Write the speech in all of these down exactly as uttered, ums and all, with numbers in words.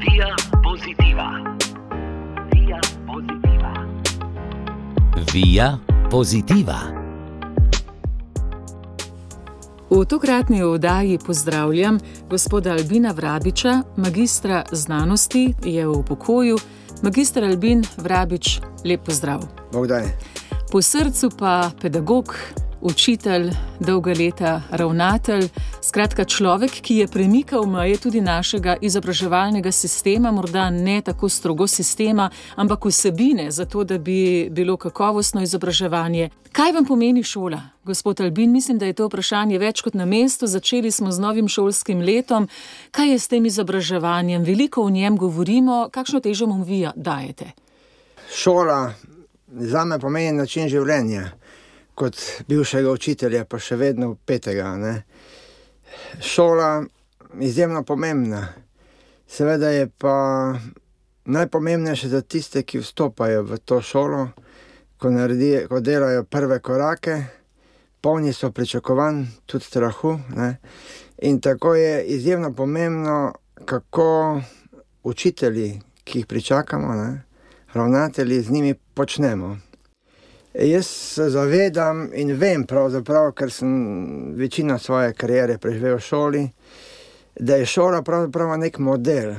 Via Positiva. Via Positiva. Via Positiva. V tokratni oddaji pozdravljam gospoda Albina Vrabiča, magistra znanosti, je v pokoju. Magister Albin Vrabič, lep pozdrav. Bog daj. Po srcu pa pedagog, učitelj, dolga leta ravnatelj, skratka človek, ki je premikal meje tudi našega izobraževalnega sistema, morda ne tako strogo sistema, ampak vsebine, zato da bi bilo kakovostno izobraževanje. Kaj vam pomeni šola, gospod Albin? Mislim, da je to vprašanje več kot na mestu. Začeli smo z novim šolskim letom. Kaj je s tem izobraževanjem? Veliko o njem govorimo. Kakšno težo mu vi dajete? Šola zame pomeni način življenja. Kot bivšega učitelja, pa še vedno petega. Ne? Šola je izjemno pomembna. Seveda je pa najpomembnejše za tiste, ki vstopajo v to šolo, ko, naredi, ko delajo prve korake, polni so pričakovanj, tudi strahu. Ne? In tako je izjemno pomembno, kako učitelji, ki jih pričakamo, ne? Ravnatelji, z njimi počnemo. Jaz se zavedam in vem pravzaprav, ker sem večino svoje kariere preživel v šoli, da je šola pravzaprav nek model.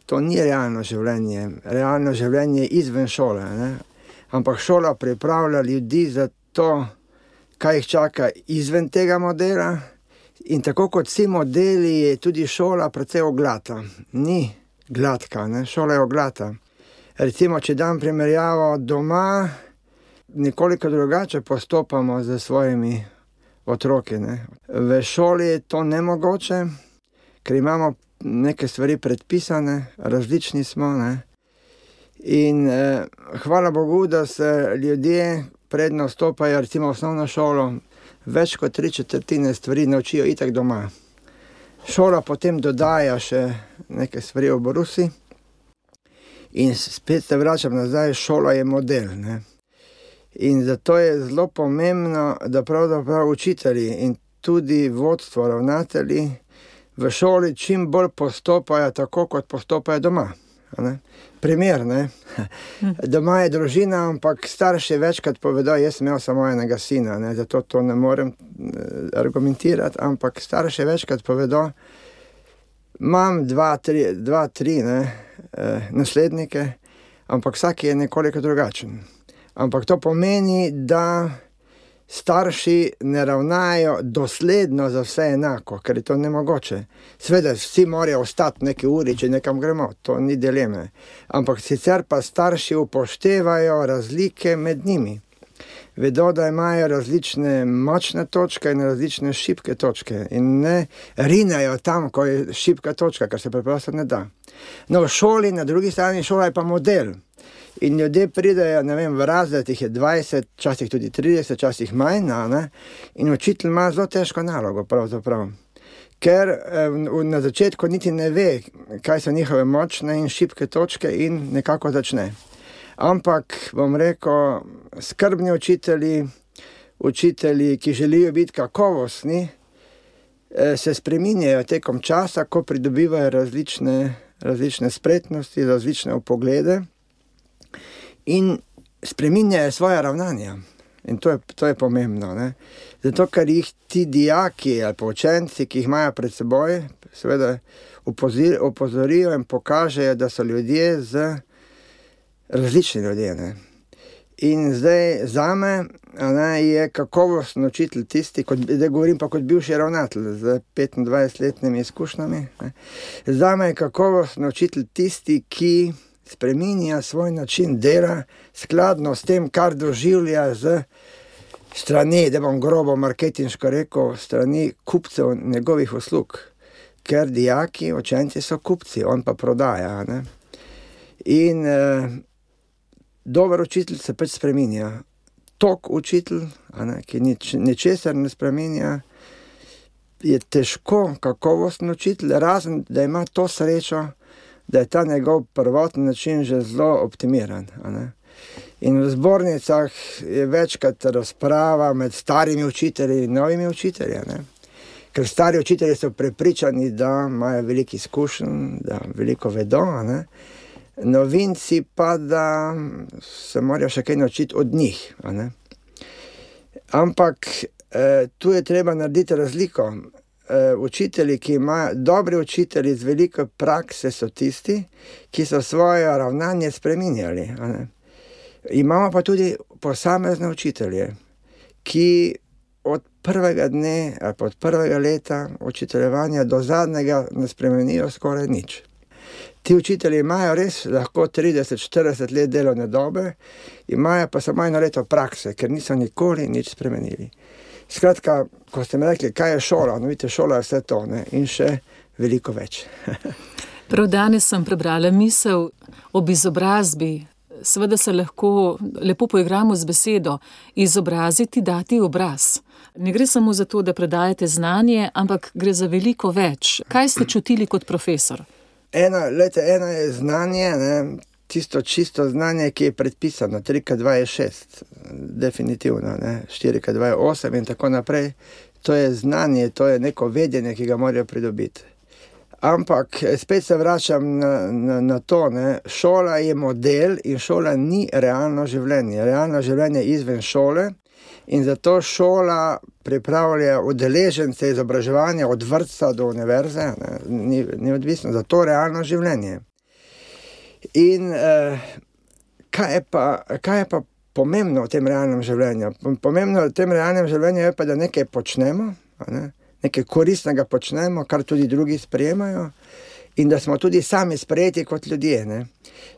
To ni realno življenje. Realno življenje je izven šole. Ne? Ampak šola pripravlja ljudi za to, kaj jih čaka izven tega modela. In tako kot vsi modeli, je tudi šola precej oglata. Ni gladka, ne? Šola je oglata. Recimo, če dam primerjavo doma, nekoliko drugače postopamo z svojimi otroki. Ne? V šoli je to nemogoče, ker imamo neke stvari predpisane, različni smo. Ne? In eh, hvala Bogu, da se ljudje predno vstopajo, recimo v osnovno šolo, več kot tri četrtine stvari naučijo itak doma. Šola potem dodaja še neke stvari v Borusi in spet se vračam nazaj, šola je model. Ne? In zato je zelo pomembno, da pravzaprav učitelji in tudi vodstvo, ravnatelji v šoli čim bolj postopajo tako, kot postopajo doma. Ne? Primer, ne? Doma je družina, ampak starši večkrat povedo, jaz sem imel samo enega sina, ne? Zato to ne morem argumentirati, ampak starši večkrat povedo, imam dva, tri, dva, tri ne? Eh, naslednike, ampak vsak je nekoliko drugačen. Ampak to pomeni, da starši ne ravnajo dosledno za vse enako, ker je to nemogoče. Sveda, vsi morajo ostati neki uri, če nekam gremo, to ni dileme. Ampak sicer pa starši upoštevajo razlike med njimi. Vedo, da imajo različne močne točke in različne šibke točke. In ne rinejo tam, ko je šibka točka, kar se preprosto ne da. No, v šoli, na drugi strani šola je pa model. In ljudje pridejo, ne vem, v razred, jih je dvajset, časih tudi trideset, časih manj, ne? In učitelj ima zelo težko nalogo, pravzaprav. Ker eh, na začetku niti ne ve, kaj so njihove močne in šibke točke in nekako začne. Ampak, bom rekel, skrbni učitelji, učitelji, ki želijo biti kakovostni, eh, se spreminjajo tekom časa, ko pridobivajo različne, različne spretnosti, različne vpoglede. In spreminjajo svoje ravnanja. In to je, to je pomembno. Ne? Zato, ker jih ti dijaki ali pa učenci, ki jih imajo pred seboj, seveda opozorijo in pokažejo, da so ljudje z različni ljudje. Ne? In zdaj zame ne, je kakovostni učitelj tisti, kot, da govorim pa kot bivši ravnatelj z petindvajsetletnimi izkušnjami. Ne? Zame je kakovostni učitelj tisti, ki spreminja svoj način dela skladno s tem, kar doživlja z strani, da bom grobo marketinško rekel, strani kupcev njegovih uslug. Ker dijaki, učenci so kupci, on pa prodaja. Ne? In eh, dober učitelj se pač spreminja. Tok učitelj, ne, ki nič, ničesar ne spreminja, je težko kakovostni učitelj, razen da ima to srečo, da je ta njegov prvotni način že zelo optimiran. Ne? In v zbornicah je večkrat razprava med starimi učitelji in novimi učitelji, ne? ker stari učitelji so prepričani, da imajo veliko izkušenj, da veliko vedo, ne? Novinci pa, da se morajo še kaj naučiti od njih. Ne? Ampak eh, tu je treba narediti razliko. Eh, učitelji, ki imajo, dobri učitelji z veliko prakse so tisti, ki so svoje ravnanje spreminjali. Ne? Imamo pa tudi posamezne učitelje, ki od prvega dne ali od prvega leta učiteljevanja do zadnjega ne spremenijo skoraj nič. Ti učitelji imajo res lahko trideset štirideset let delovne dobe, imajo pa samo eno leto prakse, ker niso nikoli nič spremenili. Skratka, ko ste mi rekli, kaj je šola, no vidite, šola je vse to, ne? In še veliko več. Prav danes sem prebrala misel ob izobrazbi. Seveda se lahko lepo poigramo z besedo, izobraziti, dati obraz. Ne gre samo za to, da predajate znanje, ampak gre za veliko več. Kaj ste čutili kot profesor? Eno, lete, eno je znanje, ne, tisto čisto znanje, ki je predpisano, tri krat dva je šest, definitivno, ne, štiri krat dva je osem in tako naprej. To je znanje, to je neko vedenje, ki ga morajo pridobiti. Ampak spet se vračam na, na, na to, ne, šola je model in šola ni realno življenje. Realno življenje je izven šole in zato šola pripravlja udeležence izobraževanja od vrtca do univerze, ne, ni, ni odvisno, za to realno življenje. In eh, kaj, je pa, kaj je pa pomembno v tem realnem življenju? Pomembno v tem realnem življenju je pa, da nekaj počnemo, ne, nekaj koristnega počnemo, kar tudi drugi sprejemajo in da smo tudi sami sprejeti kot ljudje. Ne.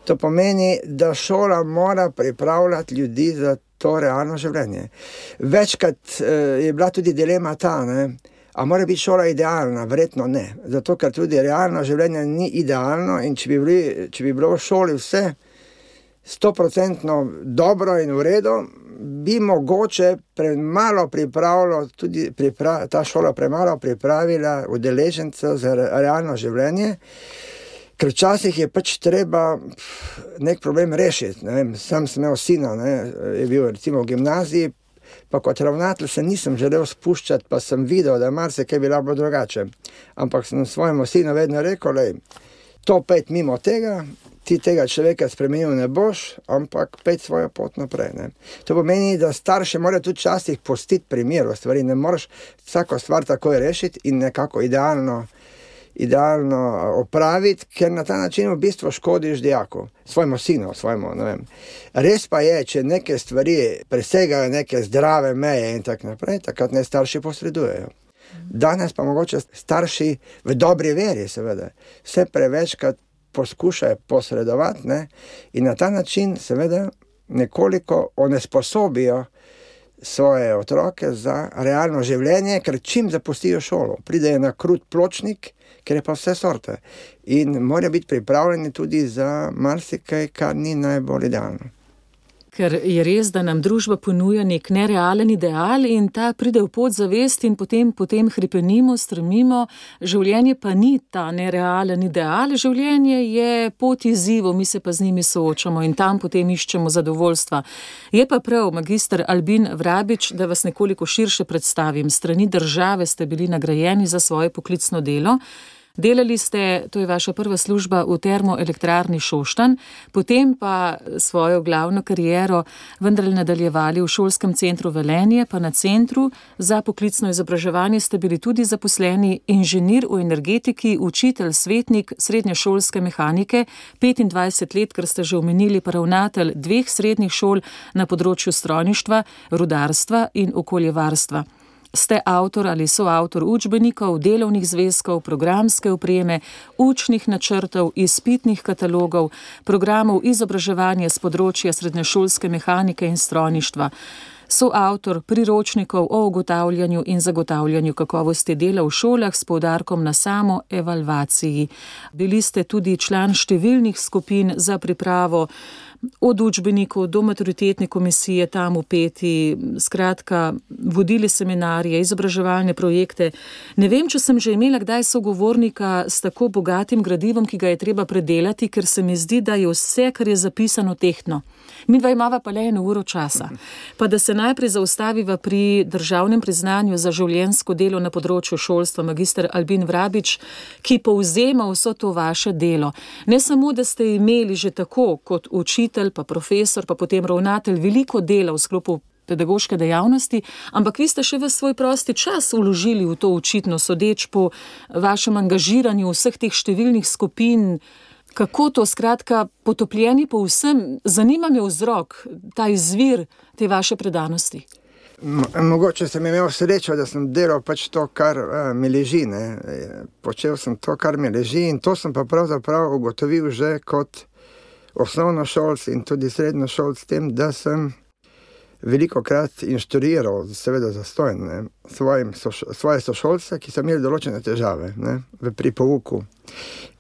To pomeni, da šola mora pripravljati ljudi za to realno življenje. Večkrat eh, je bila tudi dilema ta, ne, a mora biti šola idealna? Verjetno ne. Zato, ker tudi realno življenje ni idealno in če bi, bili, če bi bilo v šoli vse stoprocentno dobro in v redu, bi mogoče premalo pripravilo, tudi pripra, ta šola premalo pripravila udeležence za realno življenje, ker včasih je pač treba nek problem rešiti. Ne vem, sam sem imel sina, ne, je bil recimo v gimnaziji, pa kot ravnatelj se nisem želel spuščati, pa sem videl, da marsikaj bi bilo drugače. Ampak sem svojemu sinu vedno rekel, lej, to pet mimo tega, ti tega človeka spremenil ne boš, ampak pet svojo pot naprej. Ne. To pomeni, da starši morajo tudi časih pustiti primer v stvari, ne moraš vsako stvar takoj rešiti in nekako idealno idealno opraviti, ker na ta način v bistvu škodiš dijaku, svojemu sinu, svojemu, ne vem. Res pa je, če neke stvari presegajo neke zdrave meje in tako naprej, takrat ne starši posredujejo. Danes pa mogoče starši v dobri veri, seveda, vse prevečkrat poskušajo posredovati, ne, in na ta način seveda nekoliko onesposobijo svoje otroke za realno življenje, ker čim zapustijo šolo, pridejo na krut pločnik, ker je pa vse sorte. In morajo biti pripravljeni tudi za marsikaj, kar ni najbolj idealno. Ker je res, da nam družba ponuja nek nerealen ideal in ta pride v podzavest in potem, potem hripenimo, stremimo. Življenje pa ni ta nerealen ideal, življenje je pot izzivov, mi se pa z njimi soočamo in tam potem iščemo zadovoljstva. Je pa prav, magister Albin Vrabič, da vas nekoliko širše predstavim. Strani države ste bili nagrajeni za svoje poklicno delo. Delali ste, to je vaša prva služba v termoelektrarni Šoštanj, potem pa svojo glavno kariero vendarle nadaljevali v šolskem centru Velenje, pa na centru za poklicno izobraževanje ste bili tudi zaposleni inženir v energetiki, učitelj, svetnik srednješolske mehanike, petindvajset let, ker ste že omenili, pa ravnatelj dveh srednjih šol na področju strojništva, rudarstva in okoljevarstva. Ste avtor ali soavtor učbenikov, delovnih zvezkov, programske opreme, učnih načrtov, izpitnih katalogov, programov izobraževanja s področja srednješolske mehanike in strojništva. Soavtor priročnikov o ugotavljanju in zagotavljanju kakovosti dela v šolah s poudarkom na samo evalvaciji. Bili ste tudi član številnih skupin za pripravo od učbenikov do maturitetne komisije tam vpeti, skratka, vodili seminarije, izobraževalne projekte. Ne vem, če sem že imela kdaj sogovornika s tako bogatim gradivom, ki ga je treba predelati, ker se mi zdi, da je vse, kar je zapisano, tehtno. Mi dva imava pa le eno uro časa. Pa da se najprej zaustaviva pri državnem priznanju za življenjsko delo na področju šolstva, magister Albin Vrabič, ki povzema vso to vaše delo. Ne samo, da ste imeli že tako kot učitelj, pa profesor, pa potem ravnatelj veliko dela v sklopu pedagoške dejavnosti, ampak vi ste še v svoj prosti čas vložili v to očitno, sodeč po vašem angažiranju vseh teh številnih skupin. Kako to, skratka, potopljeni po vsem, zanima me vzrok, ta izvir te vaše predanosti? Mogoče sem imel srečo, da sem delal pač to, kar uh, mi leži, ne. Počel sem to, kar mi leži, in to sem pa pravzaprav ugotovil že kot osnovnošolc in tudi srednjošolc, s tem, da sem velikokrat inštruiral, seveda zastojn, ne, svojim, so, svoje sošolce, ki so imeli določene težave, ne, v pri pouku.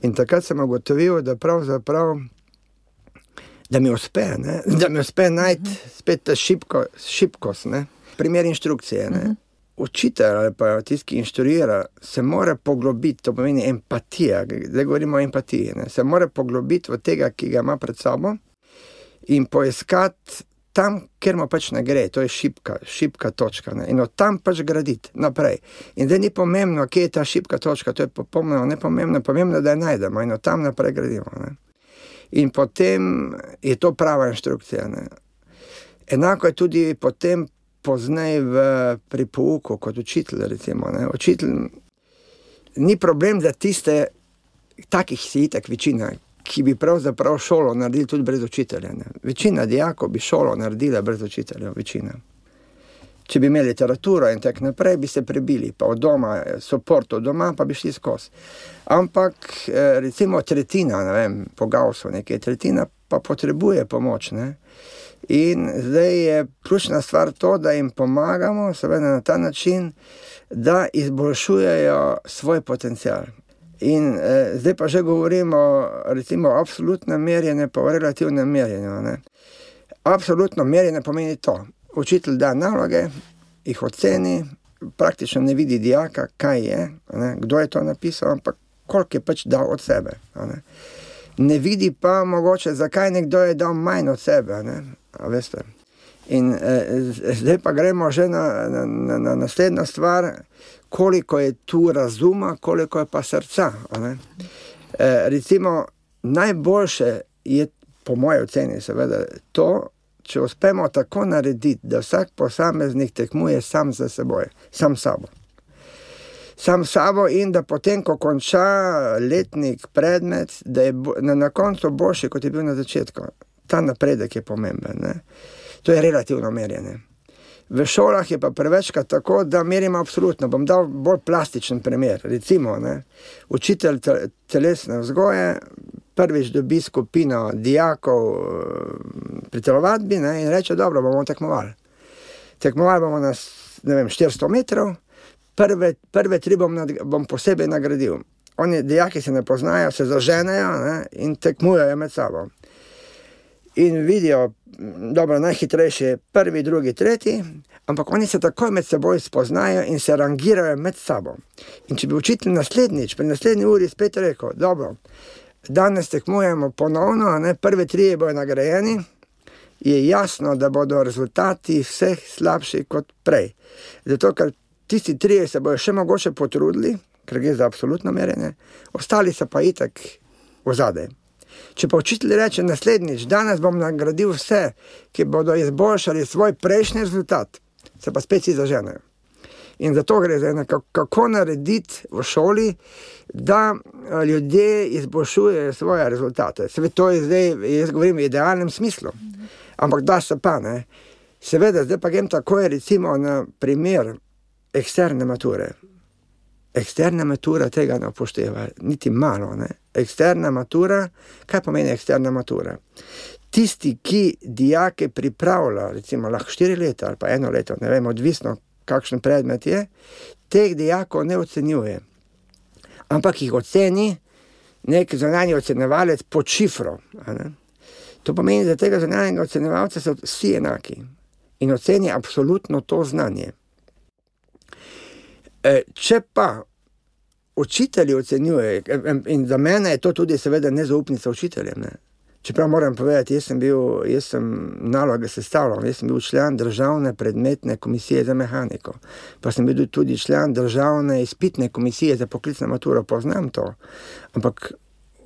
In takrat sem ugotovil, da pravzaprav, da mi uspe, ne, da mi uspe najti spet ta šibko, šibkost, ne, primer inštrukcije, ne. Učitelj ali pa tisti, ki inštruira, se mora poglobiti, to pomeni empatija, zdaj govorimo o empatiji, ne, se mora poglobiti v tega, ki ga ima pred sabo, in poiskati tam, kjer mu pač ne gre, to je šibka, šibka točka, ne? In od tam pač graditi naprej. In zdaj ni pomembno, kje je ta šibka točka, to je popolnoma nepomembno, pomembno, da jo najdemo in od tam naprej gradimo. Ne? In potem je to prava inštrukcija. Ne? Enako je tudi potem pozneje v pri pouku kot učitelj, recimo. Ne? Učitelj ni problem za tiste, takih si itak večina, ki bi pravzaprav šolo naredili tudi brez učitelja. Ne. Večina dijakov bi šolo naredila brez učitelja, večina. Če bi imeli literaturo in tak naprej, bi se prebili, pa od doma, support od doma, pa bi šli skozi. Ampak recimo tretjina, ne vem, po Gaussu nekaj, tretjina pa potrebuje pomoč, ne. In zdaj je ključna stvar to, da jim pomagamo, seveda na ta način, da izboljšujejo svoj potencial. In eh, zdaj pa že govorimo recimo o absolutnem merjenju pa o relativnem merjenju. Ne. Absolutno merjenje pomeni to. Učitelj da naloge, jih oceni, praktično ne vidi dijaka, kaj je, ne, kdo je to napisal, ampak koliko je pač dal od sebe. Ne. Ne vidi pa mogoče, zakaj nekdo je dal manj od sebe. Ne. A veste. In eh, zdaj pa gremo že na, na, na, na naslednjo stvar, koliko je tu razuma, koliko je pa srca. Ne? E, recimo, najboljše je, po moje oceni seveda, to, če uspemo tako narediti, da vsak posameznik tekmuje sam za seboj, sam sabo. Sam sabo in da potem, ko konča letnik, predmet, da je bo, na, na koncu boljši, kot je bil na začetku. Ta napredek je pomemben. Ne? To je relativno merjenje. V šolah je pa prevečkrat tako, da merimo absolutno. Bom dal bolj plastičen primer. Recimo, ne, učitelj telesne vzgoje prvič dobi skupino dijakov pri telovadbi, ne, in reče, dobro, bomo tekmovali. Tekmovali bomo na, ne vem, štiristo metrov, prve, prve tri bom, nad, bom posebej nagradil. Oni dijaki se ne poznajo, se zaženejo, ne, in tekmujejo med sabo. In vidijo, dobro, najhitrejši prvi, drugi, tretji, ampak oni se takoj med seboj spoznajo in se rangirajo med sabo. In če bi učitelj naslednjič, pri naslednji uri spet rekel, dobro, danes tekmujemo ponovno, ne, prve trije bojo nagrajeni, je jasno, da bodo rezultati vseh slabši kot prej. Zato, ker tisti trije se bojo še mogoče potrudili, ker gre za absolutno merjenje, ostali so pa itak ozadej. Če pa učitelj reče naslednjič, danes bom nagradil vse, ki bodo izboljšali svoj prejšnji rezultat, se pa spet si zaženejo. In zato gre za eno, kako narediti v šoli, da ljudje izboljšujejo svoje rezultate. Seveda to je zdaj, jaz govorim v idealnem smislu, ampak da se pa, ne. Seveda, zdaj pa grem tako, recimo na primer eksterne mature. Eksterna matura tega ne upošteva, niti malo, ne. Eksterna matura, kaj pomeni eksterna matura? Tisti, ki dijake pripravlja, recimo lahko štiri leta ali pa eno leto, ne vem, odvisno kakšen predmet je, teh dijakov ne ocenjuje. Ampak jih oceni nek zunanji ocenjevalec pod šifro. Ne? To pomeni, da tega zunanjega ocenjevalca so vsi enaki in oceni absolutno to znanje. Če pa učitelji ocenjuje, in za mene je to tudi seveda nezaupnica učiteljem, ne? Čeprav moram povedati, jaz sem bil, jaz sem naloge sestavljal, jaz sem bil član državne predmetne komisije za mehaniko, pa sem bil tudi član državne izpitne komisije za poklicno maturo, poznam to, ampak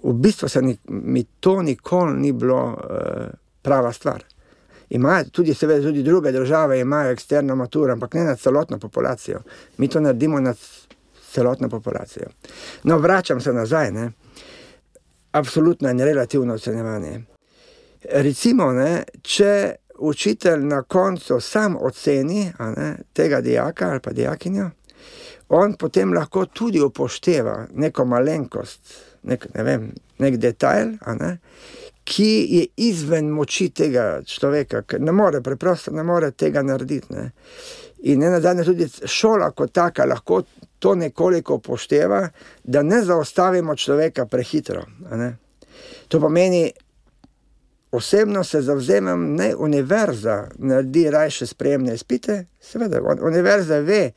v bistvu se ni, mi to nikoli ni bilo uh, prava stvar. Imajo tudi, seveda, tudi druge države imajo eksterno maturo, ampak ne nad celotno populacijo. Mi to naredimo nad celotno populacijo. No, vračam se nazaj, ne. Absolutno in relativno ocenjevanje. Recimo, ne, če učitelj na koncu sam oceni a ne, tega dijaka ali pa dijakinjo, on potem lahko tudi upošteva neko malenkost, nek, ne vem, nek detajl, a ne, ki je izven moči tega človeka, ker ne more, preprosto ne more tega narediti. Ne. In ne nazadnje tudi šola kot taka lahko to nekoliko upošteva, da ne zaustavimo človeka prehitro. A ne. To pomeni, osebno se zavzemam, ne, univerza naredi rajše sprejemne izpite, seveda, univerza ve,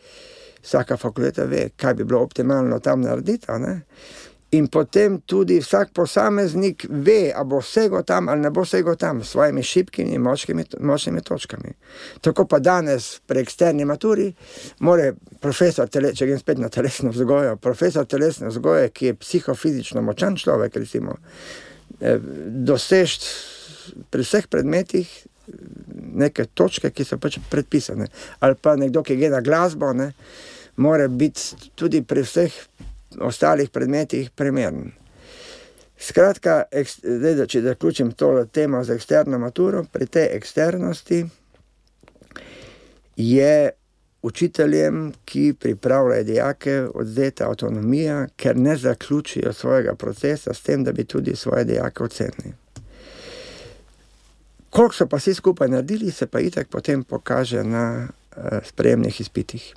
vsaka fakulteta ve, kaj bi bilo optimalno tam narediti, a ne. In potem tudi vsak posameznik ve, a bo vsego tam ali ne bo vsego tam, s svojimi šibkimi in močnimi, močnimi točkami. Tako pa danes pri eksterni maturi more profesor, tele, če grem spet na telesno vzgojo, profesor telesne vzgoje, ki je psihofizično močan človek, recimo, dosežt pri vseh predmetih neke točke, ki so pač predpisane. Ali pa nekdo, ki gre na glasbo, ne, mora biti tudi pri vseh ostalih predmetih primeren. Skratka, ek, zdaj, če zaključim tole temo z eksterno maturo, pri tej eksternosti je učiteljem, ki pripravljajo dijake, odvzeta avtonomija, ker ne zaključijo svojega procesa s tem, da bi tudi svoje dijake ocenili. Koliko so pa vsi skupaj naredili, se pa itak potem pokaže na uh, sprejemnih izpitih.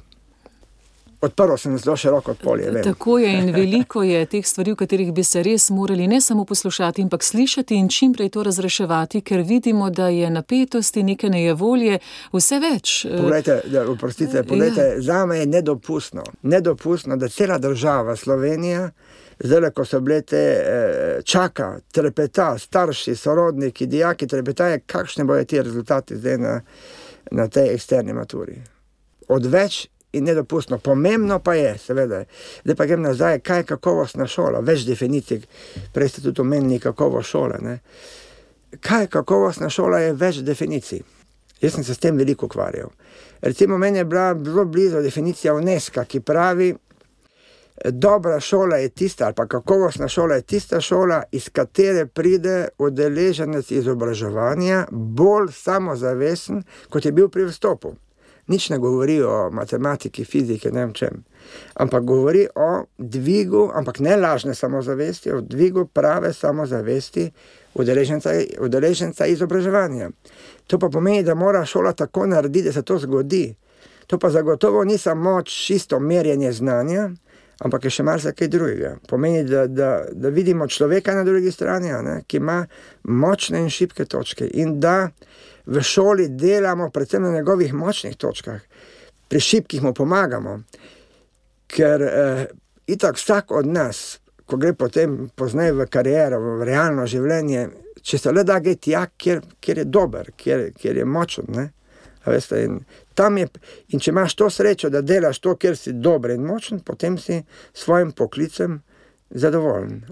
Odprlo sem zelo široko polje. Vem. Tako je in veliko je teh stvari, v katerih bi se res morali ne samo poslušati, ampak slišati in čim prej to razreševati, ker vidimo, da je napetosti, neke nejevolje, vse več. Poglejte, da, oprostite, poglejte, ja. Zame je nedopustno, nedopustno, da cela država Slovenija, zdaj, ko so bile te, čaka, trepeta, starši, sorodniki, dijaki, trepetaje, kakšne bojo ti rezultati zdaj na, na tej eksterni maturi. Odveč in nedopustno. Pomembno pa je, seveda, zdaj pa grem nazaj, kaj je kakovostna šola, več definicij, prej ste tudi omenili kakovost šole, ne. Kaj je kakovostna šola, je več definicij. Jaz sem se s tem veliko ukvarjal. Recimo, meni je bila zelo blizu definicija UNESCO, ki pravi, dobra šola je tista, ali pa kakovostna šola je tista šola, iz katere pride udeleženec izobraževanja bolj samozavesten, kot je bil pri vstopu. Nič ne govori o matematiki, fiziki, ne vem čem. Ampak govori o dvigu, ampak ne lažne samozavesti, o dvigu prave samozavesti udeleženca, udeleženca izobraževanja. To pa pomeni, da mora šola tako narediti, da se to zgodi. To pa zagotovo ni samo čisto merjenje znanja, ampak je še marsikaj drugega. Pomeni, da, da, da vidimo človeka na drugi strani, ne, ki ima močne in šibke točke in da v šoli delamo predvsem na njegovih močnih točkah. Pri šibkih mu pomagamo, ker eh, itak vsak od nas, ko gre potem pozneje v kariero, v realno življenje, če se le da gre tja, kjer, kjer je dober, kjer, kjer je močen, ne? A veste, in, tam je, in če imaš to srečo, da delaš to, kjer si dober in močen, potem si svojim poklicem zadovoljen.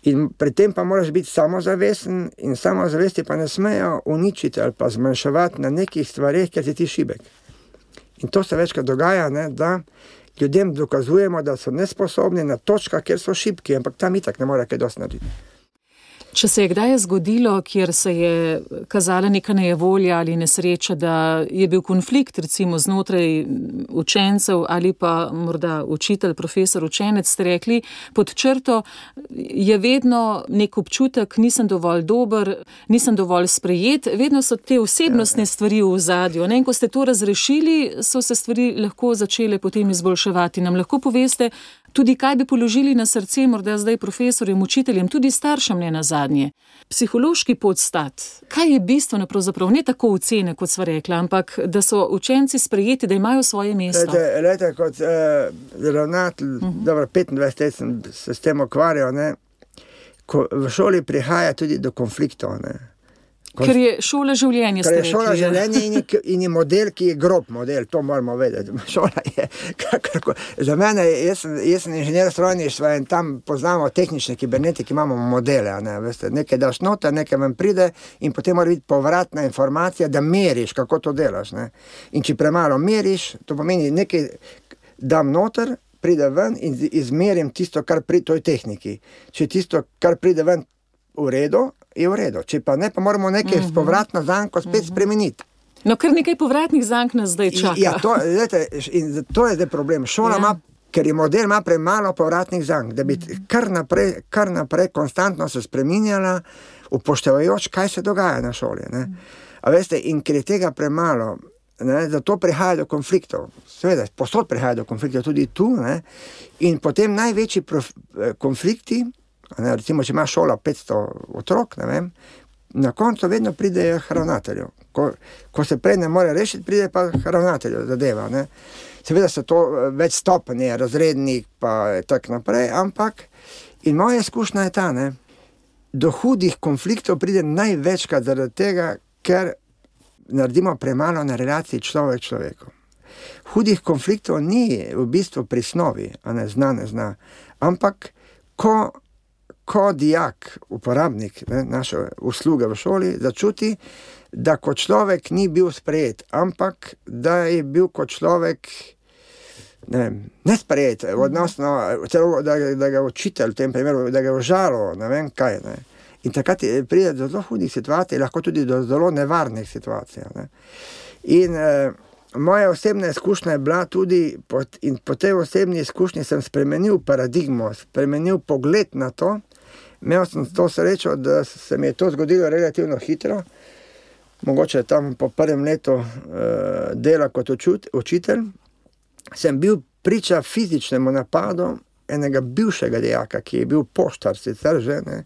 In pri tem pa moraš biti samozavesten in samozavesti pa ne smejo uničiti ali pa zmanjševati na nekih stvareh, ker si ti šibek. In to se večkrat dogaja, ne, da ljudem dokazujemo, da so nesposobni na točkah, kjer so šibki, ampak tam itak ne more kaj dosti narediti. Če se je kdaj zgodilo, kjer se je kazala neka nejevolja ali nesreča, da je bil konflikt recimo znotraj učencev ali pa morda učitelj, profesor, učenec, ste rekli, pod črto je vedno nek občutek, nisem dovolj dober, nisem dovolj sprejet, vedno so te osebnostne stvari v ozadju. In ko ste to razrešili, so se stvari lahko začele potem izboljševati. Nam lahko poveste tudi, kaj bi položili na srce morda zdaj profesorjem, učiteljem, tudi staršem ne nazadnje. Psihološki podstat. Kaj je bistveno pravzaprav? Ne tako ocene, kot sva rekla, ampak da so učenci sprejeti, da imajo svoje mesto. Lejte, lejte kot eh, ravnatelj, uh-huh. dobro, petindvajset let sem se s tem ukvarjal, ne. ko v šoli prihaja tudi do konfliktov, ne. Ker je šola življenje, ste Ker je rekli. šola ja. življenje in je, in je model, ki je grob model, to moramo vedeti. Šola je, kakorko, za mene, jaz sem, jaz sem inženir strojništva in tam poznamo tehnične kibernetike, imamo modele, ne, veste, nekaj daš noter, nekaj vam pride in potem mora biti povratna informacija, da meriš, kako to delaš, ne. In če premalo meriš, to pomeni nekaj dam noter, pride ven in izmerim tisto, kar pri toj tehniki. Če tisto, kar pride ven v redu, je v redu. Če pa ne, pa moramo nekaj uh-huh. povratno zanko spet uh-huh. spremeniti. No, kar nekaj povratnih zank nas zdaj čaka. Ja, to, lete, in to je zdaj problem. Šola ima, ja. ker je model ima premalo povratnih zank, da bi kar naprej, kar naprej konstantno se spreminjala, upoštevajoč, kaj se dogaja na šoli. Ne? A veste, in ker je tega premalo, ne, zato prihaja do konfliktov. Seveda, posod prihaja do konfliktov, tudi tu. Ne? In potem največji prof, konflikti, ne, recimo, če ima šola petsto otrok, ne vem, na koncu vedno pride k ravnatelju. Ko, ko se prej ne more rešiti, pride pa k ravnatelju zadeva. Ne. Seveda so to več stopnje, razrednik pa tak naprej, ampak in moja izkušnja je ta, ne, do hudih konfliktov pride največkrat zaradi tega, ker naredimo premalo na relaciji človek človeku. Hudih konfliktov ni v bistvu pri snovi, a ne zna, ne zna, ampak ko ko dijak, uporabnik ne, naše usluge v šoli, začuti, da kot človek ni bil sprejet, ampak da je bil kot človek ne, nesprejet, odnosno, celo, da, da ga učitelj v tem primeru, da ga užalo, ne vem kaj. Ne. In takrat pride do zelo hudih situacij, lahko tudi do zelo nevarnih situacij. Ne. In eh, moja osebna izkušnja je bila tudi, pot, in po tej osebni izkušnji sem spremenil paradigmo, spremenil pogled na to. Imel sem to srečo, da se mi je to zgodilo relativno hitro, mogoče tam po prvem letu uh, dela kot učut, učitelj, sem bil priča fizičnemu napadu enega bivšega dijaka, ki je bil poštar sicer že, ne,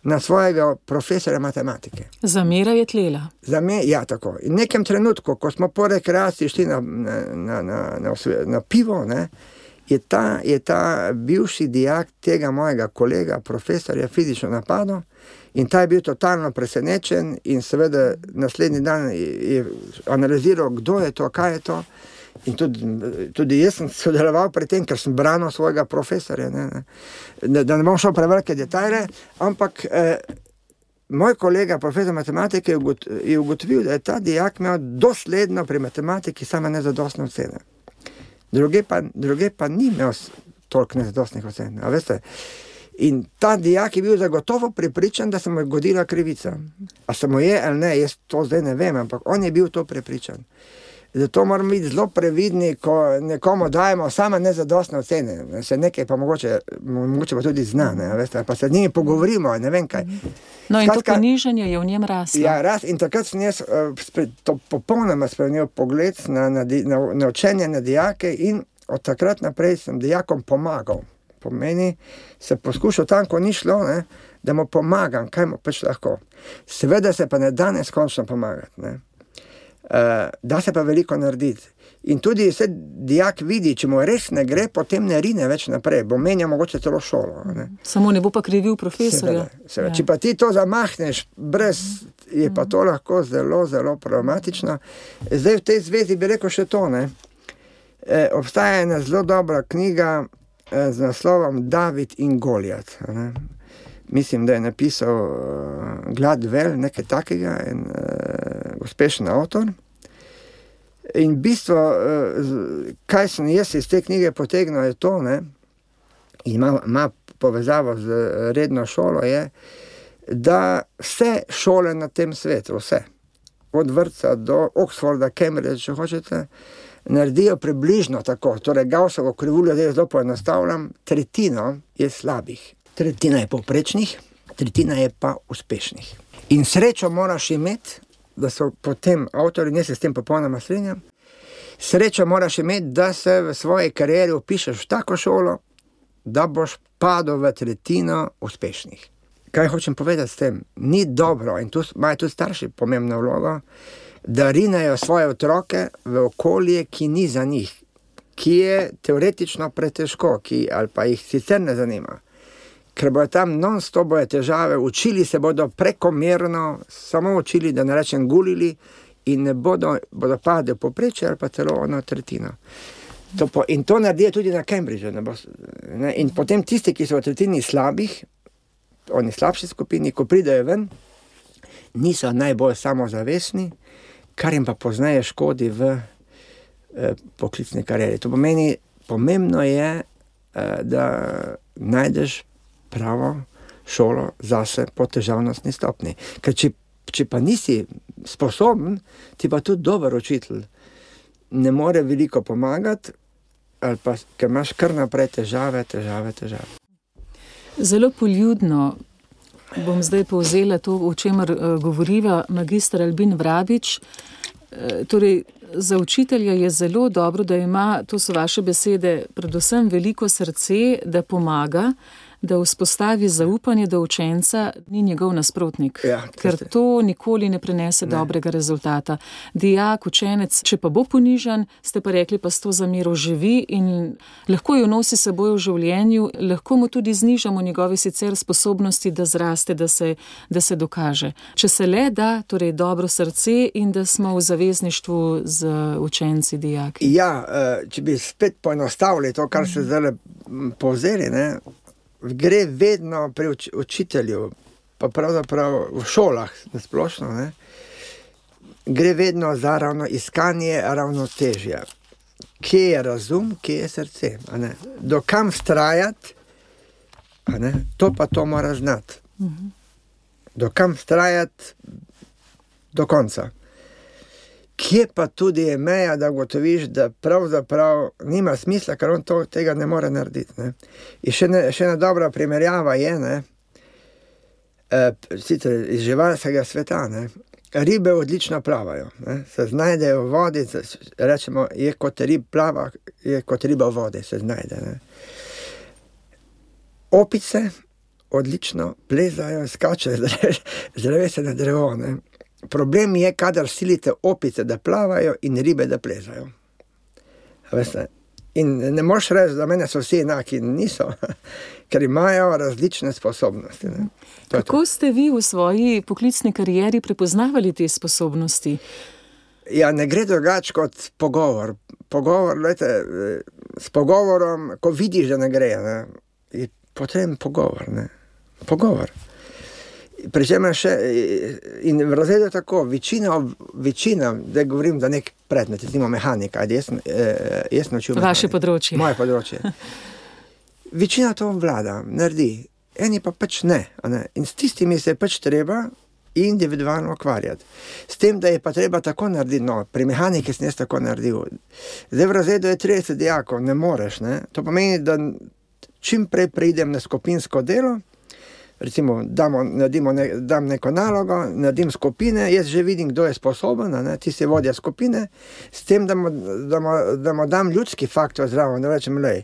na svojega profesora matematike. Zamera je tlela. Zame, ja, tako. In v nekem trenutku, ko smo po rekreaciji šli na, na, na, na, na, na pivo, ne, Je ta, je ta bivši dijak tega mojega kolega, profesorja, fizično napadel in ta je bil totalno presenečen in seveda naslednji dan je, je analiziral, kdo je to, kaj je to. In tudi, tudi jaz sem sodeloval pri tem, ker sem branil svojega profesorja. Ne, ne. Da ne bom šel prevelike detajle, ampak eh, moj kolega, profesor matematike, je ugotovil, da je ta dijak imel dosledno pri matematiki same nezadostne ocene. Druge pa, druge pa ni imel toliko nezadostnih ocen, a veste. In ta dijak je bil zagotovo prepričan, da se mu je godila krivica. A se mu je ali ne, jaz to zdaj ne vem, ampak on je bil to prepričan. Zato moramo biti zelo previdni, ko nekomu dajemo same nezadostne ocene. Se nekaj pa mogoče, mogoče pa tudi zna, ne, veste, pa se z njimi pogovorimo, ne vem kaj. No in Skratka, to ponižanje je v njem raslo. Ja, raz, in takrat sem jaz uh, spred, to popolnoma spremenil pogled na, na, na, na učenje na dijake in od takrat naprej sem dijakom pomagal. Pomeni, se poskušal tam, ko ni šlo, ne, da mu pomagam, kaj mu pač lahko. Seveda se pa ne da neskončno pomagati, ne. Uh, da se pa veliko narediti. In tudi se dijak vidi, če mu res ne gre, potem ne rine več naprej, bo menja mogoče celo šolo. Ne? Samo ne bo pa krivil profesorja. Seveda, seveda. Ja. Če pa ti to zamahneš, brez, je pa to lahko zelo, zelo problematično. Zdaj v tej zvezi bi rekel še to, ne. E, obstaja ena zelo dobra knjiga e, z naslovom David in Golijat. Ne? Mislim, da je napisal uh, Gladwell, nekaj takega, en uh, uspešen avtor. In bistvo, uh, kaj sem jaz iz te knjige potegnil, je to, ne, in ima, ima povezavo z redno šolo, je, da vse šole na tem svetu, vse, od vrtca do Oxforda, Cambridge, če hočete, naredijo približno tako, torej Gaussovo krivuljo, da je zelo poenostavljam, tretjino je slabih. Tretjina je povprečnih, tretjina je pa uspešnih. In srečo moraš imeti, da so potem avtori, ne se s tem popolnoma strinjam, srečo moraš imeti, da se v svoji karieri upišeš v tako šolo, da boš padel v tretjino uspešnih. Kaj hočem povedati s tem? Ni dobro, in tu imajo tudi starši pomembno vlogo, da rinejo svoje otroke v okolje, ki ni za njih, ki je teoretično pretežko, ki ali pa jih sicer ne zanima, ker bojo tam non-stop bojo težave, učili se bodo prekomerno, samo učili, da ne rečem gulili, in ne bodo, bodo padli poprečje ali pa celo ono tretjino. To po, in to naredijo tudi na Cambridgeu. Ne bo, ne? In potem tisti, ki so v tretjini slabih, oni slabši skupini, ko pridejo ven, niso najbolj samozavestni, kar jim pa pozneje škodi v eh, poklicni karieri. To pomeni, pomembno je, eh, da najdeš pravo šolo zase po težavnostni stopni. Ker če, če pa nisi sposoben, ti pa tudi dober učitelj ne more veliko pomagati, ali pa ker imaš kar naprej težave, težave, težave. Zelo poljudno bom zdaj povzela to, o čemer uh, govoriva magister Albin Vrabič. Uh, torej, za učitelja je zelo dobro, da ima, to so vaše besede, predvsem veliko srce, da pomaga, da vzpostavi zaupanje, da učenca ni njegov nasprotnik, ja, ker to nikoli ne prenese ne. dobrega rezultata. Dijak, učenec, če pa bo ponižan, ste pa rekli, pa s to zamero živi in lahko jo nosi seboj v življenju, lahko mu tudi znižamo njegove sicer sposobnosti, da zraste, da se, da se dokaže. Če se le da, torej dobro srce in da smo v zavezništvu z učenci, dijaki. Ja, če bi spet poenostavili to, kar se zdaj povzeli, ne, gre vedno pri uč- učitelju, pa pravzaprav v šolah nasplošno, ne, gre vedno za ravno iskanje ravnotežja. Kje je razum, kje je srce, a ne? Do kam vztrajati, a ne? To pa to mora znati. Uh-huh. Do kam vztrajati do konca. Kje pa tudi je meja, da ugotoviš, da pravzaprav nima smisla, ker on to, tega ne more narediti. Ne? In še, ne, še ena dobra primerjava je, ne, e, sicer iz živalskega sveta, ne, ribe odlično plavajo, ne, se znajdejo v vodi, rečemo, je kot rib plava, je kot riba v vodi, se znajde. Ne. Opice odlično plezajo, skačejo z drevesa na drevo, ne. Problem je, kadar silite opice, da plavajo in ribe, da plezajo. Veste? In ne moš reči, da mene so vsi enaki, niso, ker imajo različne sposobnosti. Ne? Kako ste vi v svoji poklicni karieri prepoznavali te sposobnosti? Ja, ne gre drugače kot pogovor. Pogovor, lejte, s pogovorom, ko vidiš, da ne gre, ne? Je potreben pogovor. Ne? Pogovor. Pričemer še, in v razredu tako, večina, večina, da govorim za nek predmet, recimo mehanika, ajde, jaz, jaz naučil mehanika. Vaše področje. Moje področje. Večina to vlada, naredi, eni pa pač ne, a ne. In s tistimi se je pač treba individualno ukvarjati. S tem, da je pa treba tako narediti, no, pri mehaniki sem jaz tako naredil. Zdaj v razredu je trideset dijakov, ne moreš, ne. To pomeni, da čim prej pridem na skupinsko delo, recimo, damo, naredimo ne, dam neko nalogo, naredim skupine, jaz že vidim, kdo je sposoben, ne, ti si vodja skupine, s tem, da mu, da mu, da mu dam ljudski faktor zraven, da rečem, lej,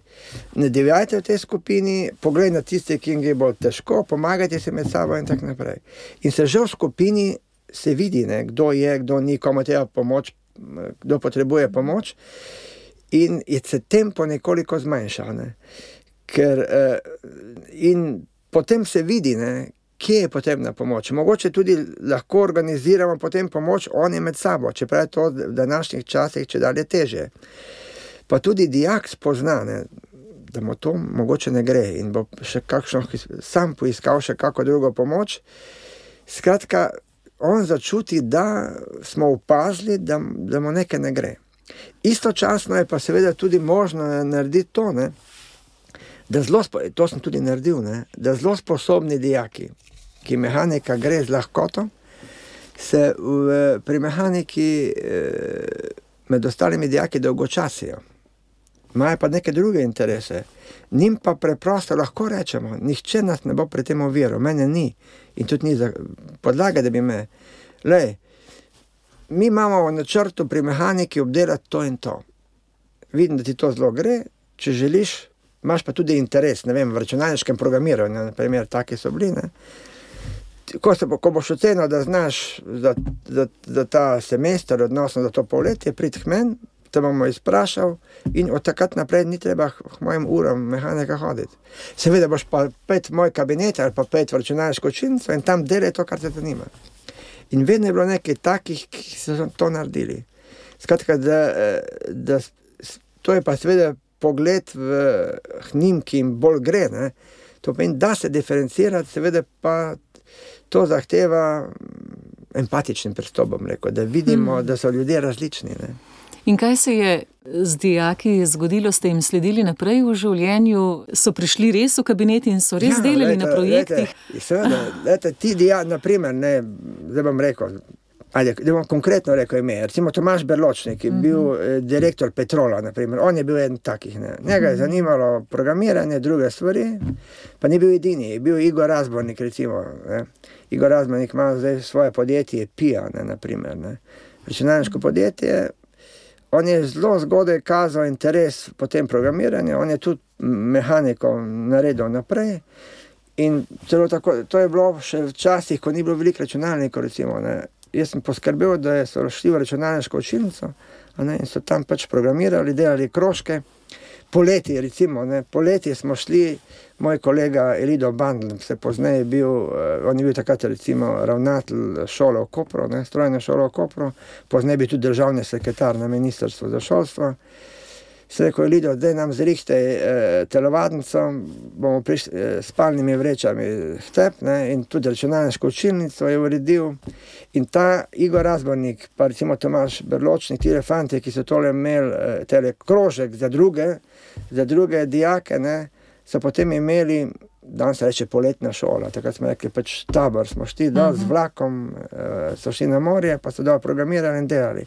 ne divjajte v tej skupini, poglej na tiste, ki jim gre bolj težko, pomagajte se med sabo in tako naprej. In se že v skupini se vidi, ne, kdo je, kdo ni, komu treba pomoč, kdo potrebuje pomoč, in je se tempo nekoliko zmanjšal, ne, ker uh, in potem se vidi, ne, kje je potrebna pomoč. Mogoče tudi lahko organiziramo potem pomoč oni med sabo, čeprav je to v današnjih časih čedalje težje. Pa tudi dijak spozna, ne, da mu to mogoče ne gre in bo še kakšno, sam poiskal še kako drugo pomoč. Skratka, on začuti, da smo opazili, da, da mu nekaj ne gre. Istočasno je pa seveda tudi možno narediti to, ne, da zelo, to sem tudi naredil, ne, da zelo sposobni dijaki, ki mehanika gre z lahkoto, se v, pri mehaniki eh, med ostalimi dijaki dolgočasijo. Imajo pa neke druge interese. Njim pa preprosto lahko rečemo, nihče nas ne bo pri tem oviral, mene ni. In tudi ni za podlaga, da bi me, lej, mi imamo v načrtu pri mehaniki obdelati to in to. Vidim, da ti to zelo gre, če želiš, imaš pa tudi interes, ne vem, v računalniškem programiranju, na primer, taki so bili, ne. Ko, se, ko boš ocenil, da znaš za, za, za ta semester, odnosno za to polletje, prid k meni, te bomo izprašal in od takrat naprej ni treba k mojim uram mehanika hoditi. Seveda boš pa pet v moj kabinet ali pa pet v računalniško učilnico in tam delaj to, kar te zanima. In vedno je bilo nekaj takih, ki so to naredili. Skratka, da, da to je pa seveda pogled v njim, ki jim bolj gre, ne. To pomeni, da se diferencirati, seveda pa to zahteva empatičnim pristopom, rekel, da vidimo, hmm. da so ljudje različni, ne. In kaj se je z dijaki zgodilo? Ste jim sledili naprej v življenju? So prišli res v kabinet in so res ja, delali lete, na projektih? Lete, seveda, lete, ti dijaki, naprimer, ne, zdaj bom rekel, ali, da bom konkretno rekel ime, recimo Tomaž Berločnik, ki je bil mm-hmm. direktor Petrola, naprimer, on je bil eden takih, ne. Njega je zanimalo programiranje, druge stvari, pa ni bil edini, je bil Igor Razbornik, recimo, ne. Igor Razbornik ima zdaj svoje podjetje Pija, ne, naprimer, ne. Računalniško podjetje, on je zelo zgodaj kazal interes po tem programiranju, on je tudi mehaniko naredil naprej in celo tako, to je bilo še včasih, ko ni bilo veliko računalnikov, recimo, ne. Jaz sem poskrbel, da so šli v računalniško učilnico, a ne, in so tam pač programirali, delali krožke. Poleti, recimo, ne, poleti smo šli, moj kolega Elido Bandl, se pozneje bil, uh, on je bil takrat, recimo, ravnatelj šole v Kopru, ne, strojne šole v Kopru, pozneje bil tudi državni sekretar na ministrstvu za šolstvo. Se rekel, Elido, daj nam zrihte eh, telovadnico, bomo prišli eh, s spalnimi vrečami v tep, ne, in tudi računalniško učilnico je uredil. In ta Igor Razbornik, pa recimo Tomaž Berločnik, ti fanti, ki so tole imeli eh, tele krožek za druge, za druge dijake, ne, so potem imeli, danes se reče poletna šola, takrat smo rekli, pač tabor smo šli dol z vlakom, eh, so šli na morje, pa so dol programirali in delali.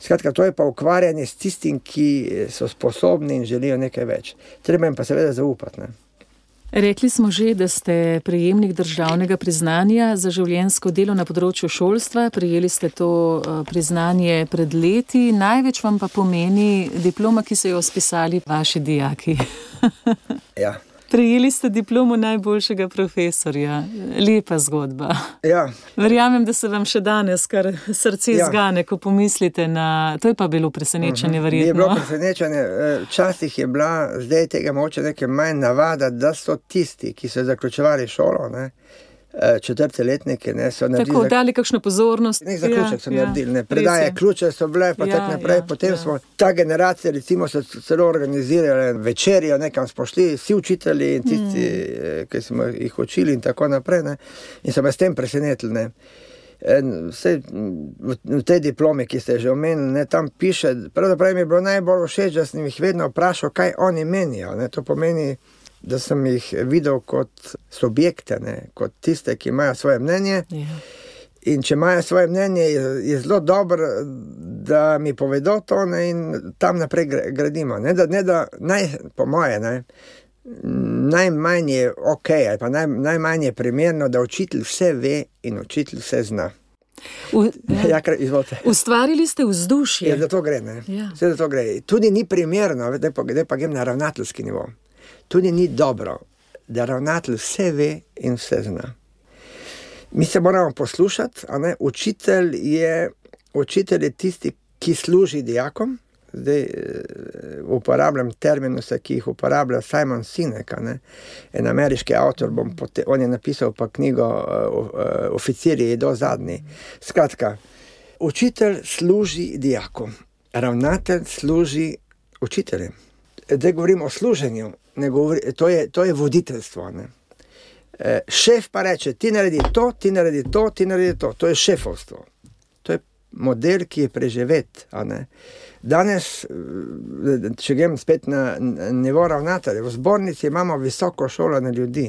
Skratka, to je pa ukvarjanje s tistim, ki so sposobni in želijo nekaj več. Treba jim pa seveda zaupati, ne. Rekli smo že, da ste prejemnik državnega priznanja za življenjsko delo na področju šolstva. Prijeli ste to priznanje pred leti. Največ vam pa pomeni diploma, ki so jo spisali vaši dijaki. Ja. Prejeli ste diplomo najboljšega profesorja. Lepa zgodba. Ja. Verjamem, da se vam še danes kar srce ja. zgane, ko pomislite na... To je pa bilo presenečenje, uh-huh. verjetno. Je bilo presenečenje. Včasih je bila, zdaj tega moče nekaj manj navada, da so tisti, ki so zaključevali šolo, ne, četrte letnike, ne, so naredili... Tako, dali kakšno pozornost. Nek zaključek ja, so naredili, ne, predaje ključe so bile, pa ja, tak naprej, ja, potem ja. smo, ta generacija, recimo, so celo organizirali večerjo, nekam smo šli, vsi učitelji in tisti, mm. ki smo jih učili in tako naprej, ne, in so me s tem presenetili, ne. Vse, v tej diplomi, ki ste že omenili, ne, tam piše, pravzaprav mi je bilo najbolj všeč, da sem jih vedno vprašal, kaj oni menijo, ne, to pomeni, da sem jih videl kot subjekte, ne, kot tiste, ki imajo svoje mnenje. Yeah. In če imajo svoje mnenje, je, je zelo dobro, da mi povedo to, ne, in tam naprej gradimo. Ne, da, ne, da naj, po moje, ne, najmanj je ok, ali pa naj, najmanj je primerno, da učitelj vse ve in učitelj vse zna. U, ja, izvolite. Ustvarili ste vzdušje. Ja, da to gre, ne. Ja. Vse da to gre. Tudi ni primerno, da pa, da pa grem na ravnateljski nivo. Tudi ni dobro, da ravnatelj vse ve in vse zna. Mi se moramo poslušati, a ne, učitelj je, učitelj je tisti, ki služi dijakom. Zdaj uporabljam terminuse, ki jih uporablja Simon Sinek, ne, en ameriški avtor, bom pote, on je napisal pa knjigo uh, Oficirji do zadnji. Skratka, učitelj služi dijakom, ravnatelj služi učiteljem. Zdaj govorim o služenju, ne govori, to je, to je voditeljstvo, ne. E, šef pa reče, ti naredi to, ti naredi to, ti naredi to. To je šefovstvo. To je model, ki je preživet, a ne. Danes, če grem spet na nivo ravnatelja, v zbornici imamo visoko šolane ljudi,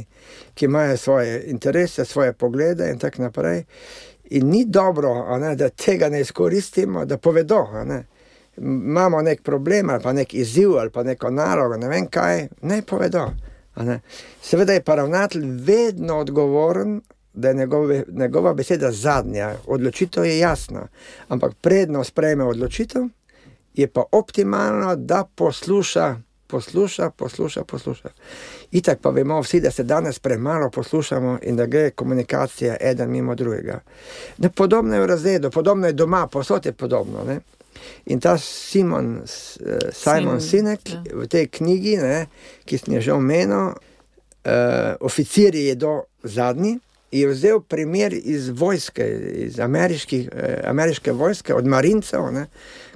ki imajo svoje interese, svoje poglede in tak naprej. In ni dobro, a ne, da tega ne izkoristimo, da povedo, a ne. Imamo nek problem ali pa nek izziv ali pa neko nalogo, ne vem kaj, ne povedo. Ne? Seveda je pa ravnatelj vedno odgovoren, da je njegove, njegova beseda zadnja. Odločitev je jasna, ampak predno sprejme odločitev, je pa optimalno, da posluša, posluša, posluša, posluša. Itak pa vemo vsi, da se danes premalo poslušamo in da gre komunikacija eden mimo drugega. Ne, podobno je v razredu, podobno je doma, posod je podobno, ne. In ta Simon, Simon Sinek ja. v tej knjigi, ne, ki sem jo že omenil, uh, oficir je do zadnji, je vzel primer iz vojske, iz ameriških, uh, ameriške vojske, od marincev, ne,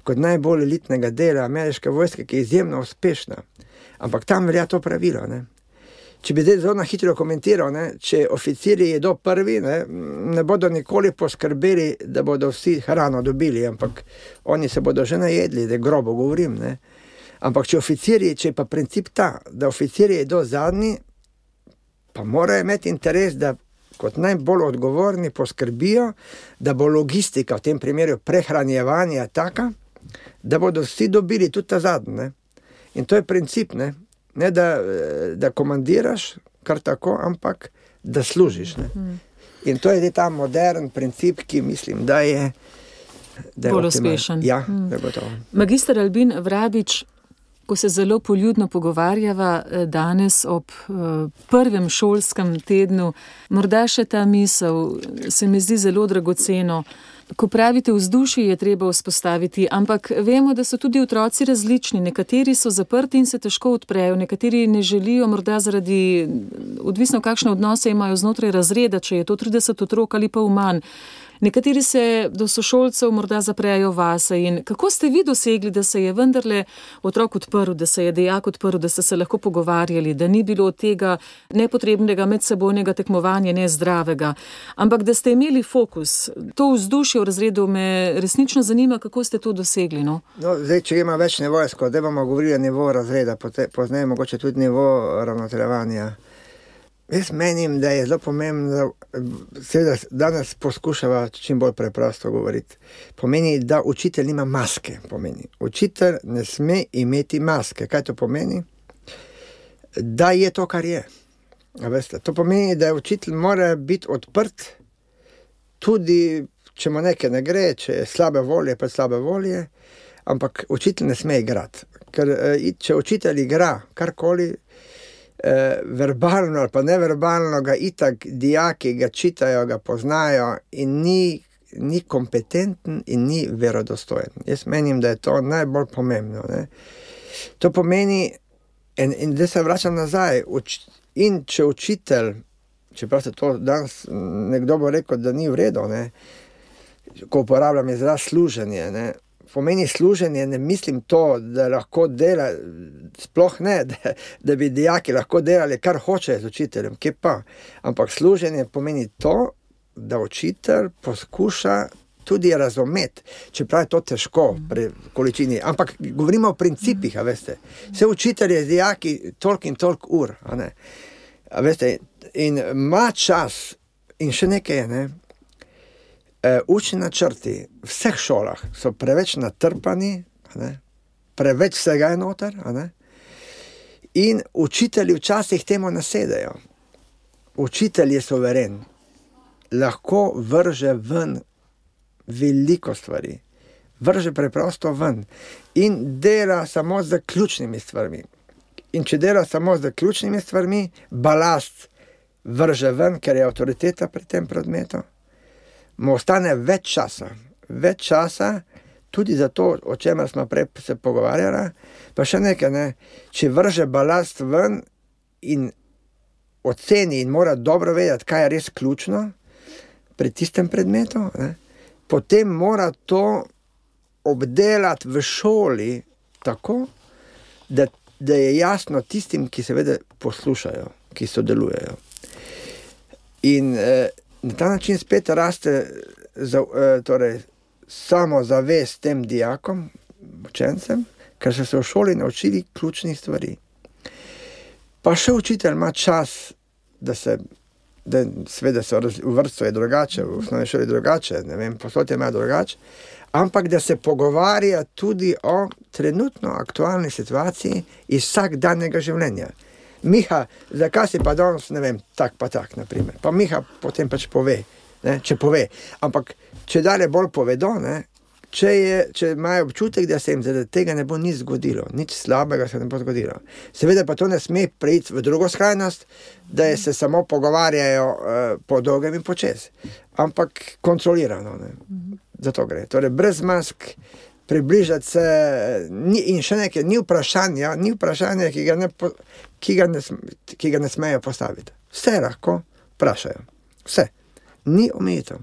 kot najbolj elitnega dela ameriške vojske, ki je izjemno uspešna. Ampak tam velja to pravilo, ne. Če bi zdaj zelo na hitro komentiral, ne, če oficirji jedo prvi, ne, ne bodo nikoli poskrbeli, da bodo vsi hrano dobili, ampak oni se bodo že najedli, da grobo govorim. Ne. Ampak če oficirji, če je pa princip ta, da oficirji jedo zadnji, pa morajo imeti interes, da kot najbolj odgovorni poskrbijo, da bo logistika, v tem primeru prehranjevanja taka, da bodo vsi dobili tudi ta zadnji. Ne. In to je princip, ne. Ne da, da komandiraš kar tako, ampak da služiš. Ne? In to je ta modern princip, ki mislim, da je, da je bolj uspešen. Ja, da je gotovo. Magister Albin Vrabič, ko se zelo poljudno pogovarjava danes ob prvem šolskem tednu, morda še ta misel se mi zdi zelo dragoceno. Ko pravite, vzdušje je treba vzpostaviti, ampak vemo, da so tudi otroci različni. Nekateri so zaprti in se težko odprejo, nekateri ne želijo, morda zaradi, odvisno kakšne odnose imajo znotraj razreda, če je to trideset otrok ali pa manj. Nekateri se do sošolcev morda zaprejo vase. In kako ste vi dosegli, da se je vendarle otrok odprl, da se je dijak odprl, da ste se lahko pogovarjali, da ni bilo tega nepotrebnega medsebojnega tekmovanja, nezdravega, ampak da ste imeli fokus. To vzdušje v razredu me resnično zanima, kako ste to dosegli. No, no zdaj, če ima več nivojsko, da bomo govorili o nivo razreda, pozneje mogoče tudi nivo ravnoteljevanja. Jaz menim, da je zelo pomembno, seveda danes poskušava čim bolj preprosto govoriti. Pomeni, da učitelj nima maske. Pomeni. Učitelj ne sme imeti maske. Kaj to pomeni? Da je to, kar je. A veste, to pomeni, da učitelj mora biti odprt, tudi če mu nekaj ne gre, če je slabe volje, pa slabe volje, ampak učitelj ne sme igrati. Ker če učitelj igra karkoli, Eh, verbalno ali pa neverbalno, ga itak dijaki ga čitajo, ga poznajo in ni, ni kompetenten in ni verodostojen. Jaz menim, da je to najbolj pomembno. Ne? To pomeni, in, in da se vračam nazaj, uč, in če učitelj, čeprav se to danes nekdo bo rekel, da ni v redu, ne? Ko uporabljam izraz služenje, ne? Pomeni služenje, ne mislim to, da lahko dela, sploh ne, da, da bi dijaki lahko delali, kar hoče z učiteljem, kje pa. Ampak služenje pomeni to, da učitelj poskuša tudi razumeti, čeprav je to težko pri količini. Ampak govorimo o principih, a veste. Vse učitelj je z dijaki toliko in toliko ur, a ne. A veste, in ima čas, in še nekaj je, ne. Uh, učni načrti v vseh šolah so preveč natrpani, ne? Preveč vsega je noter, ne? In učitelji včasih temu nasedajo. Učitelj je suveren, lahko vrže ven veliko stvari, vrže preprosto ven in dela samo z ključnimi stvarmi. In če dela samo z ključnimi stvarmi, balast vrže ven, ker je avtoriteta pri tem predmetu, mu ostane več časa, več časa, tudi za to, o čemer smo prej se pogovarjali, pa še nekaj, ne, če vrže balast ven in oceni in mora dobro vedeti, kaj je res ključno pri tistem predmetu, ne, potem mora to obdelati v šoli tako, da, da je jasno tistim, ki seveda poslušajo, ki sodelujejo. In eh, na ta način spet raste za, torej, samo zavest tem dijakom, učencem, ker so se v šoli naučili ključnih stvari. Pa še učitelj ima čas, da se, da seveda so v vrtcu je drugače, v osnovni šoli drugače, ne vem, posod je ima drugače, ampak da se pogovarja tudi o trenutno aktualni situaciji iz vsakdanjega življenja. Miha, zakaj si pa danes, ne vem, tak pa tak, naprimer. Pa Miha potem pač pove, ne, če pove. Ampak, če dalje bolj povedo, ne, če, je, če imajo občutek, da se jim zaradi tega ne bo nič zgodilo, nič slabega se ne bo zgodilo. Seveda pa to ne sme preiti v drugo skrajnost, da se samo pogovarjajo uh, po dolgem in počez. Ampak kontrolirano, ne. Za to gre. Torej, brez mask, približati se, ni, in še nekaj, ni vprašanja, ni vprašanja, ki ga ne, po, ki ga ne, ki ga ne smejo postaviti. Vse lahko vprašajo. Vse. Ni omejitev.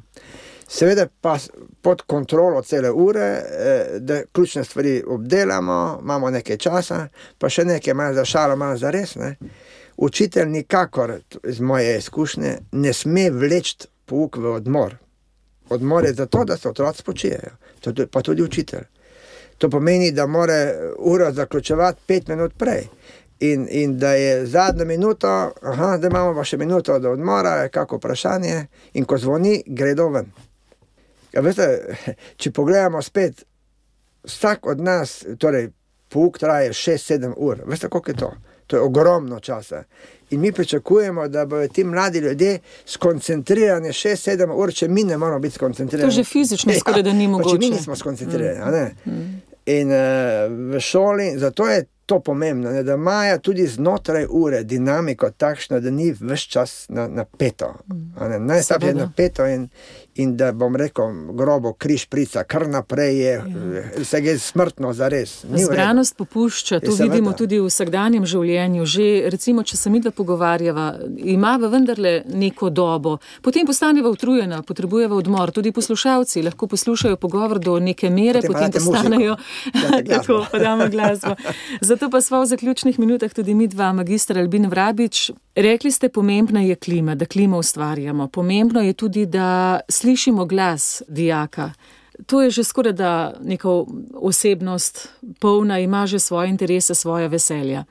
Seveda pa pod kontrolo cele ure, da ključne stvari obdelamo, imamo nekaj časa, pa še nekaj malo za šalo, malo za res, ne. Učitelj nikakor, iz moje izkušnje, ne sme vleči pouk v odmor. Odmor je zato, da se otroci spočijejo, pa tudi učitelj. To pomeni, da mora uro zaključevati pet minut prej. In, in da je zadnjo minuto, aha, da imamo pa še minuto do odmora, je kako vprašanje, in ko zvoni, gredo ven. Ja, veste, če pogledamo spet, vsak od nas, torej pouk traje šest sedem ur, veste, koliko je to? To je ogromno časa. In mi pričakujemo, da bodo ti mladi ljudje skoncentrirani šest sedem ur, če mi ne moramo biti skoncentrirani. To že fizično ja, skoraj da ni mogoče. Če mi nismo skoncentrirani, mm. a ne? Mm. In uh, v šoli, zato je to pomembno, ne, da imajo tudi znotraj ure dinamiko takšno, da ni ves čas na, napeto. Mm. Najslabše je napeto in, in da bom rekel grobo križ prica, kar naprej je, ja. Se je smrtno zares. Zbranost popušča, to vidimo tudi v vsakdanjem življenju. Že recimo, če se midva pogovarjava, ima vendarle neko dobo, potem postaneva utrujena, potrebujeva odmor, tudi poslušalci lahko poslušajo pogovor do neke mere, potem, potem postanejo, tako, pa damo glasbo. Zato pa sva v zaključnih minutah tudi midva, magistra Albin Vrabič. Rekli ste, pomembna je klima, da klimo ustvarjamo. Pomembno je tudi, da slišimo glas dijaka. To je že skoraj da neka osebnost polna, ima že svoje interese, svoje veselja.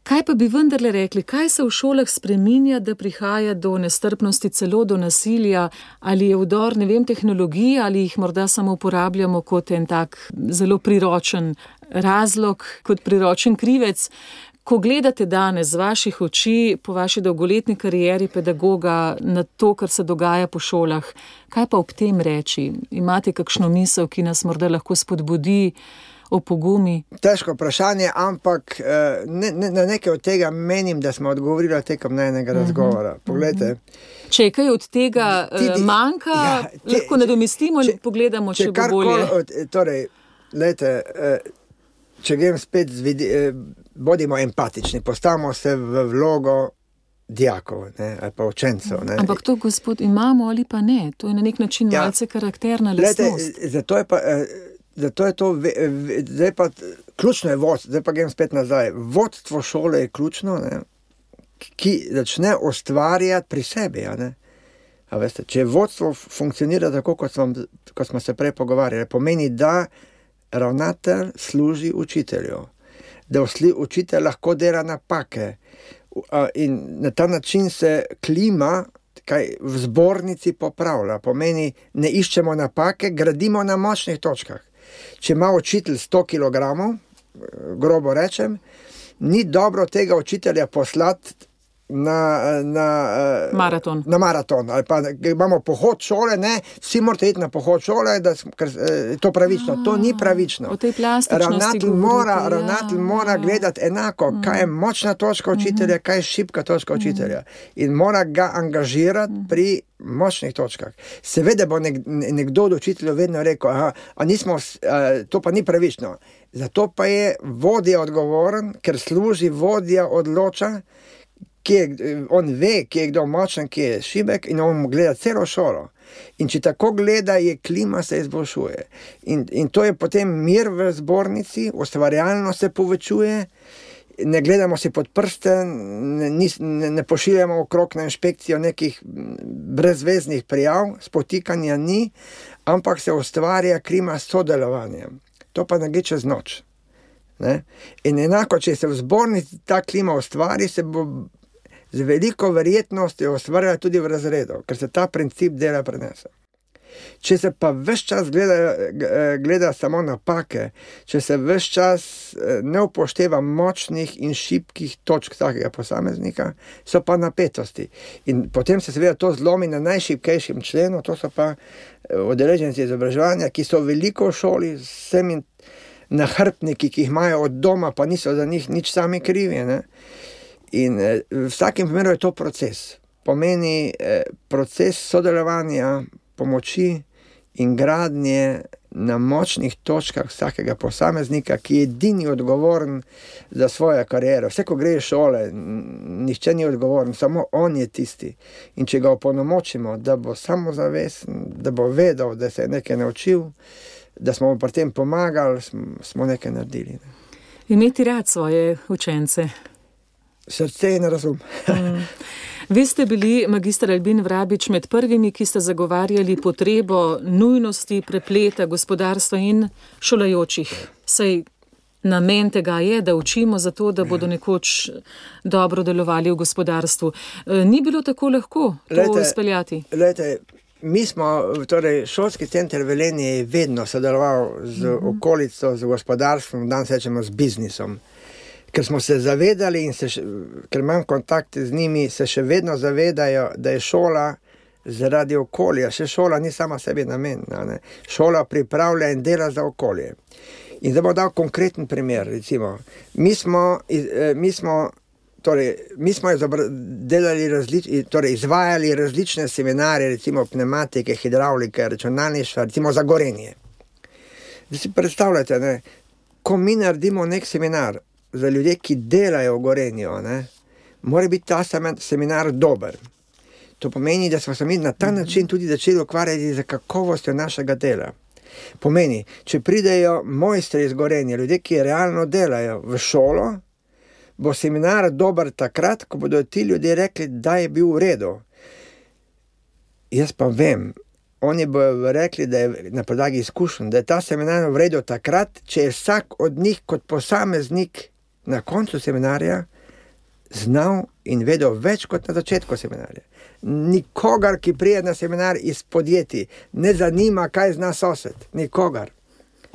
Kaj pa bi vendarle rekli, kaj se v šolah spreminja, da prihaja do nestrpnosti, celo do nasilja, ali je vdor, ne vem, tehnologije, ali jih morda samo uporabljamo kot en tak zelo priročen razlog, kot priročen krivec. Ko gledate danes z vaših oči, po vaši dolgoletni karieri pedagoga, na to, kar se dogaja po šolah, kaj pa ob tem reči? Imate kakšno misel, ki nas morda lahko spodbudi, opogumi? Težko vprašanje, ampak ne, ne, na nekaj od tega menim, da smo odgovorili tekom enega razgovora. Poglejte. Če kaj od tega Tidi, manjka, ja, te, lahko nadomestimo in pogledamo, če, če bo bolje. Od, torej, lejte, če grem spet z vidi, bodimo empatični, postavimo se v vlogo dijakov, ne, ali pa učencev. Ne. Ampak to, gospod, imamo ali pa ne? To je na nek način ja, malce karakterna lastnost. Lejte, zato je pa... Zato je to, zdaj pa, ključno je vodstvo, zdaj pa grem spet nazaj. Vodstvo šole je ključno, ne, ki začne ustvarjati pri sebi. A ne. A veste, če vodstvo funkcionira tako, kot smo, kot smo se prej pogovarjali, pomeni, da ravnatelj služi učitelju, da učitelj lahko dela napake in na ta način se klima kaj v zbornici popravlja. Pomeni, ne iščemo napake, gradimo na močnih točkah. Če ima učitelj sto kilogramov, grobo rečem, ni dobro tega učitelja poslati na, na maraton. Na maraton. Ali pa imamo pohod šole, ne, vsi morate iti na pohod šole, da ker, je to pravično. A, to ni pravično. O tej plastičnosti ravnatelj mora, ja, ravnatelj mora ja. gledati enako, kaj je močna točka učitelja, kaj je šibka točka učitelja. In mora ga angažirati pri močnih točkah. Seveda bo nek, nekdo od učiteljev vedno rekel, aha, a nismo, a, to pa ni pravično. Zato pa je vodja odgovoren, ker služi vodja odloča, kje, on ve, kje je kdo močen, kje je šibek in on gleda celo šolo. In če tako gleda, je klima se izboljšuje. In, in to je potem mir v zbornici, ustvarjalno se povečuje, ne gledamo si pod prste, ne, ne, ne pošiljamo okrog na inšpekcijo nekih brezveznih prijav, spotikanja ni, ampak se ustvarja klima s sodelovanjem. To pa ne gre čez noč. Ne? In enako, če se v zbornici ta klima ustvari, se bo z veliko verjetnostjo ustvarjala tudi v razredu, ker se ta princip dela prenese. Če se pa ves čas gleda, gleda samo napake, če se ves čas ne upošteva močnih in šibkih točk takega posameznika, so pa napetosti. In potem se seveda to zlomi na najšibkejšem členu, to so pa udeleženci izobraževanja, ki so veliko v šoli, vsemi nahrbtniki, ki jih imajo od doma, pa niso za njih nič sami krivi. Ne? In v vsakem primeru je to proces. Pomeni proces sodelovanja, pomoči in gradnje na močnih točkah vsakega posameznika, ki je edini odgovoren za svojo kariero. Vse, ko gre iz šole, nihče ni odgovoren, samo on je tisti. In če ga opolnomočimo, da bo samozavesten, da bo vedel, da se je nekaj naučil, da smo mu pri tem pomagali, smo nekaj naredili. Ne. Imeti rad svoje učence. Srce in razum. mm. Vi ste bili, magister Albin Vrabič, med prvimi, ki ste zagovarjali potrebo nujnosti prepleta gospodarstva in šolajočih. Saj namen tega je, da učimo za to, da bodo nekoč dobro delovali v gospodarstvu. Ni bilo tako lahko to lejte, izpeljati? Lejte, mi smo, torej šolski center Velenje je vedno sodeloval z mm-hmm. okolico, z gospodarstvom, danes rečemo z biznisom. Ker smo se zavedali in se, ker imam kontakte z njimi, se še vedno zavedajo, da je šola zaradi okolja. Še šola ni sama sebi namen. Ne? Šola pripravlja in dela za okolje. In zdaj bom dal konkreten primer. Recimo. Mi smo, mi smo, torej, mi smo delali različ, torej, izvajali različne seminarje, recimo pneumatike, hidravlike, računalništva, recimo za Gorenje. Zdaj si predstavljate, ne? Ko mi naredimo nek seminar za ljudje, ki delajo v Gorenju, ne, mora biti ta seminar dober. To pomeni, da smo se mi na ta način tudi začeli ukvarjati za kakovostjo našega dela. Pomeni, če pridejo mojstri iz Gorenja, ljudje, ki realno delajo v šolo, bo seminar dober takrat, ko bodo ti ljudje rekli, da je bil v redu. Jaz pa vem, oni bodo rekli, da je na podlagi izkušenj, da je ta seminar v redu takrat, če je vsak od njih kot posameznik na koncu seminarja znal in vedel več kot na začetku seminarja. Nikogar, ki prije na seminar iz podjetij, ne zanima, kaj zna sosed. Nikogar.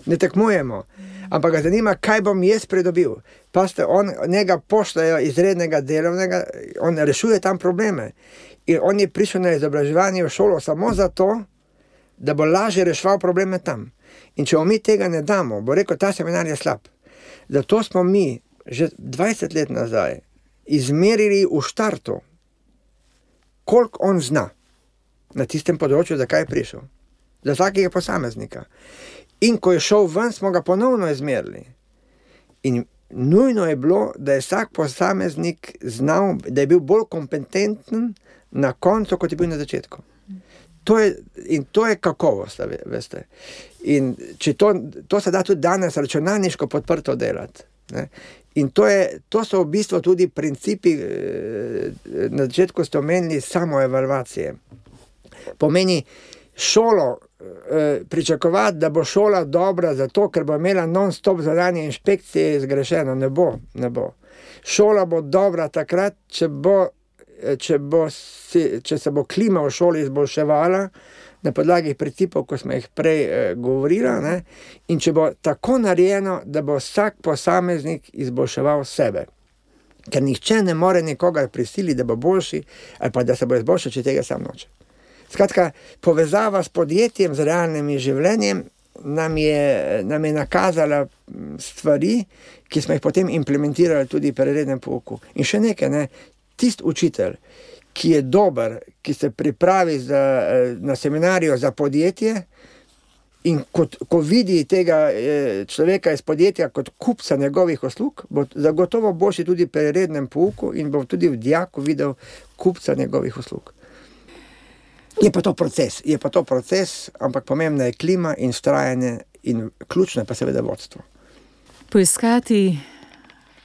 Ne tekmujemo. Ampak ga zanima, kaj bom jaz pridobil. Paste, on, njega pošljajo izrednega delovnega, on rešuje tam probleme. In on je prišel na izobraževanje v šolo samo zato, da bo lažje reševal probleme tam. In če mi tega ne damo, bo rekel, ta seminar je slab. Zato smo mi že dvajset let nazaj izmerili v štartu, koliko on zna na tistem področju, za kaj je prišel. Za vsakega posameznika. In ko je šel ven, smo ga ponovno izmerili. In nujno je bilo, da je vsak posameznik znal, da je bil bolj kompetenten na koncu, kot je bil na začetku. To je, in to je kakovost, veste. In če to, to se da tudi danes računalniško podprto delati. Ne? In to, je, to so v bistvu tudi principi, na začetku ste omenili samoevalvacije. Pomeni šolo pričakovati, da bo šola dobra zato, ker bo imela non-stop zadanje inšpekcije zgrešeno. Ne bo, ne bo. Šola bo dobra takrat, če, bo, če, bo, če se bo klima v šoli izboljševala, na podlagi principov, ko smo jih prej eh, govorili, ne? In če bo tako narejeno, da bo vsak posameznik izboljševal sebe. Ker nihče ne more nikogar prisiliti, da bo boljši, ali pa da se bo izboljšal, če tega sam noče. Skratka, povezava s podjetjem, z realnim življenjem, nam je, nam je nakazala stvari, ki smo jih potem implementirali tudi pri rednem pouku. In še nekaj, ne? Tist učitelj, ki je dober, ki se pripravi za, na seminarju za podjetje in kot, ko vidi tega človeka iz podjetja kot kupca njegovih uslug, bo zagotovo boljši tudi pri rednem pouku in bo tudi v dijaku videl kupca njegovih uslug. Je pa to proces, je pa to proces, ampak pomembna je klima in vztrajanje in ključno je pa seveda vodstvo. Poiskati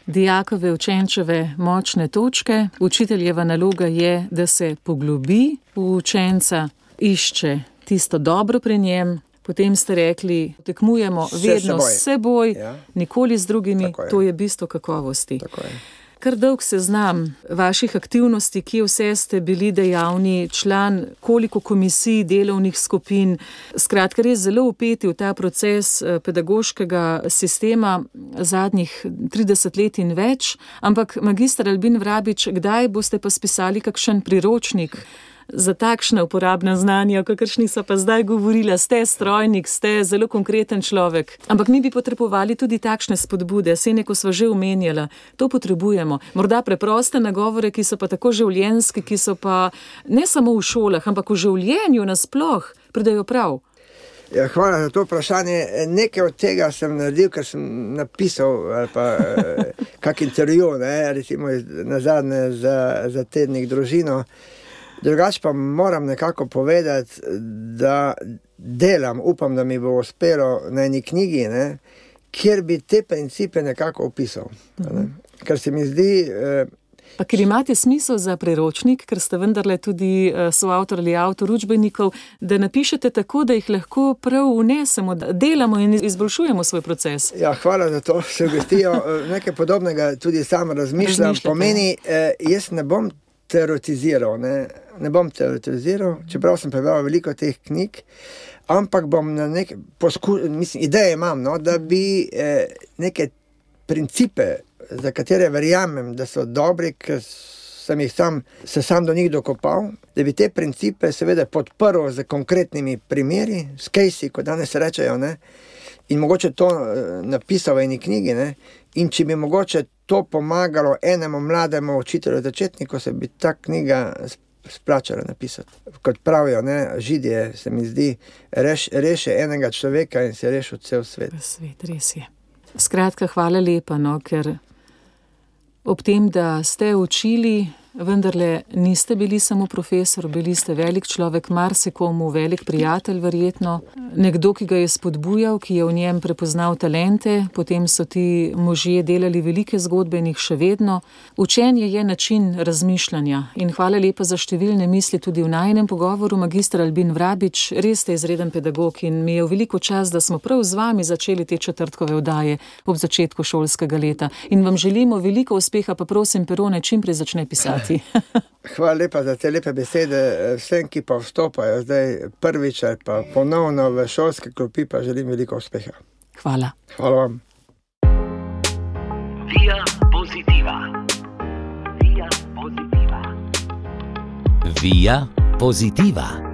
dijakove, učenčeve močne točke. Učiteljeva naloga je, da se poglobi v učenca, išče tisto dobro pri njem. Potem ste rekli, tekmujemo vedno s seboj, ja. Nikoli z drugimi, je. To je bistvo kakovosti. Kar dolg seznam vaših aktivnosti, kje vse ste bili dejavni, član, koliko komisij, delovnih skupin, skratka res zelo vpeti v ta proces pedagoškega sistema zadnjih trideset let in več, ampak magister Albin Vrabič, kdaj boste pa spisali kakšen priročnik za takšne uporabne znanja, o kakršnih so pa zdaj govorila? Ste strojnik, ste zelo konkreten človek. Ampak mi bi potrebovali tudi takšne spodbude, saj neko sva že omenjala. To potrebujemo. Morda preproste nagovore, ki so pa tako življenjski, ki so pa ne samo v šolah, ampak v življenju nasploh pridejo prav. Ja, hvala za to vprašanje. Nekaj od tega sem naredil, ker sem napisal ali pa kak intervju, ne, recimo nazadnje za, za tednik Družino. Drugače pa moram nekako povedati, da delam, upam, da mi bo uspelo na eni knjigi, ne, kjer bi te principe nekako opisal. Ne. Ker se mi zdi... Eh, Pa ker imate smisel za priročnik, ker ste vendarle tudi soavtor ali avtor učbenikov, da napišete tako, da jih lahko prav vnesemo, da delamo in izboljšujemo svoj proces. Ja, hvala za to sugestijo. Nekaj podobnega tudi sam razmišljam. Pomeni, eh, jaz ne bom teoretiziral, ne, ne bom teoretiziral, čeprav sem prebral veliko teh knjig, ampak bom na neke poskušal, mislim, ideje imam, no, da bi eh, neke principe, za katere verjamem, da so dobri, ker sem jih sam, se sam do njih dokopal, da bi te principe seveda podprl z konkretnimi primeri, s case-i, kot danes rečejo, ne, in mogoče to napisal v eni knjigi, ne, in če bi mogoče to pomagalo enemu mlademu učitelju začetniku, se bi ta knjiga splačala napisati. Kot pravijo, ne, Židije, se mi zdi, reš, reši enega človeka in se rešil cel svet. Svet, res je. Skratka, hvala lepa, no, ker ob tem, da ste učili, vendarle niste bili samo profesor, bili ste velik človek, marsikomu velik prijatelj verjetno, nekdo, ki ga je spodbujal, ki je v njem prepoznal talente, potem so ti možje delali velike zgodbe in jih še vedno. Učenje je način razmišljanja in hvala lepa za številne misli tudi v najinem pogovoru, magister Albin Vrabič, res ste izreden pedagog in mi je v veliko čas, da smo prav z vami začeli te četrtkove oddaje ob začetku šolskega leta in vam želimo veliko uspeha, pa prosim Perone čim prej začne pisati. Hvala lepa za te lepe besede. Vsem, ki pa vstopajo zdaj prvič ali pa ponovno v šolske klopi, pa želim veliko uspeha. Hvala. Hvala vam. Via Positiva. Via Positiva. Via Positiva.